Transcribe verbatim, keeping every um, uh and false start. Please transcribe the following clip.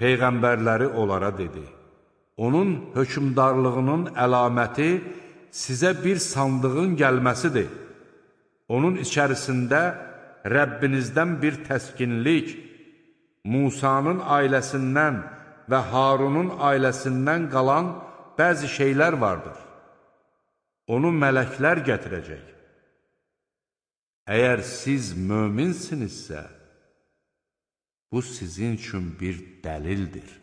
Peyğəmbərləri onlara dedi: onun hökmdarlığının əlaməti sizə bir sandığın gəlməsidir. Onun içərisində Rəbbinizdən bir təskinlik, Musanın ailəsindən və Harunun ailəsindən qalan bəzi şeylər vardır. Onu mələklər gətirəcək. Əgər siz möminsinizsə, bu sizin üçün bir dəlildir.